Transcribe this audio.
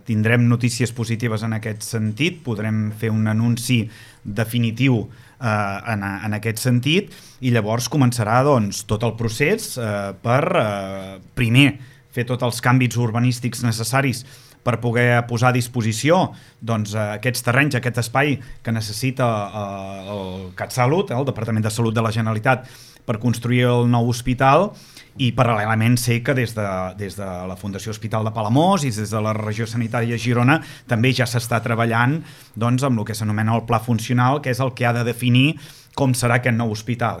tindrem notícies positives en aquest sentit, podrem fer un anunci definitiu en aquest sentit, i llavors començarà doncs, tot el procés per primer fer tots els canvis urbanístics necessaris per poder posar a disposició doncs, aquests terrenys, aquest espai que necessita el CatSalut, el Departament de Salut de la Generalitat, per construir el nou hospital, i paral·lelament sé que des de la Fundació Hospital de Palamós i des de la Regió Sanitària de Girona també ja s'està treballant doncs, amb el que s'anomena el pla funcional, que és el que ha de definir com serà aquest nou hospital.